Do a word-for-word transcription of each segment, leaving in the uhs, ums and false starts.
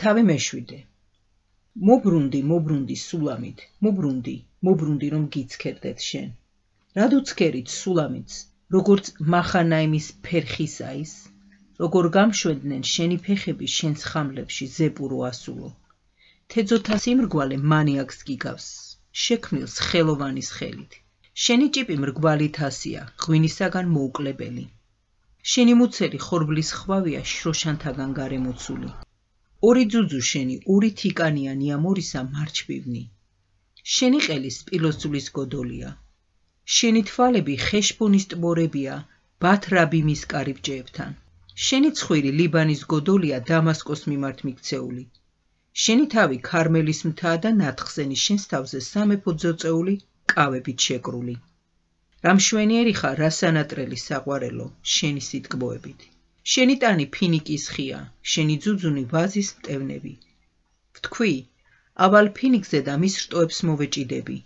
თავი მეშვიდე. მობრუნდი, მობრუნდი სულამით, მობრუნდი, მობრუნდი რომ გიცქერდეთ შენ. რადუცქერით სულამიც, როგორც მახანაიმის ფერხისა ის, როგორ გამშვენდნენ შენი ფეხები შენს ხამლებში ზეპურო ასულო. თეძოთა სიმრგვალე მანიაკს გიგავს, შექმნილს ხელოვანის ხელით. შენი ჭიპი მრგვალი თასია, ღვინისაგან მოუკლებელი. შენი მუცელი ხორბლის ხვავია შროშანთაგან გარემოცული. ორი ძუძუ შენი, ორი თიკანიანი ამორისა მარჩბივნი. შენი ყელი სპილოსძვლის გოდოლია. შენი თვალები ხეშბონის ტბორებია, ბათრაბიმის კარიბჭეებთან. შენი ცხვირი ლიბანის გოდოლია დამასკოს მიმართ მიქცეული. შენი თავი ქარმელის მთაა და ნათხსენი შენს თავზე სამეფო ძოწეული კავებით შეკრული. რა მშვენიერი ხარ, რა სანატრელი საყვარელო, შენი სიტკბოებით. შენი ტანი ფინიკის ხია, შენი ძუძუნი ვაზის მტევნები. ვთქვი, ავალ ფინიკზე და მის რტოებს მოვეჭიდები.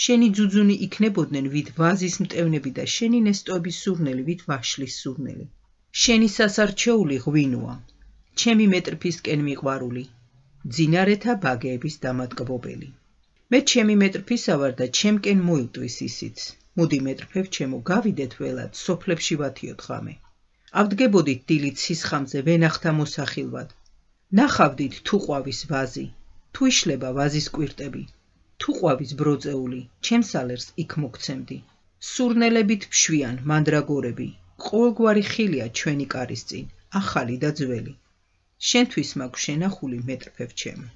შენი ძუძუნი იქნებოდნენ ვით ვაზის მტევნები და შენი ნესტოების სურნელი ვით ვაშლის სურნელი. შენი სასარჩეული ღვინოა, ჩემი მეტრფისკენ მიყვარული, ძინარეთა ბაგეების დამატკბობელი. მე ჩემი მეტრფისა ვარ და ჩემკენ მოილტვის ისიც. მოდი მეტრფებ ჩემო, გავიდეთ ველად, სოფლებში ვათიოთ ღამე. ავდგებოდით დილით სისხამზე ვენახთა მოსახილვად. ნახავდით თუ ყვავის ვაზი, თუ იშლება ვაზის კვირტები, თუ ყვავის ბროწეული, ჩემს ალერს იქ მოგცემდი. სურნელებით ფშვიან მანდრაგორები, ყოველგვარი ხილია ჩვენი კარის წინ, ახალი და ძველი. შენთვის მაქვს შენახული მეტრფებ ჩემო.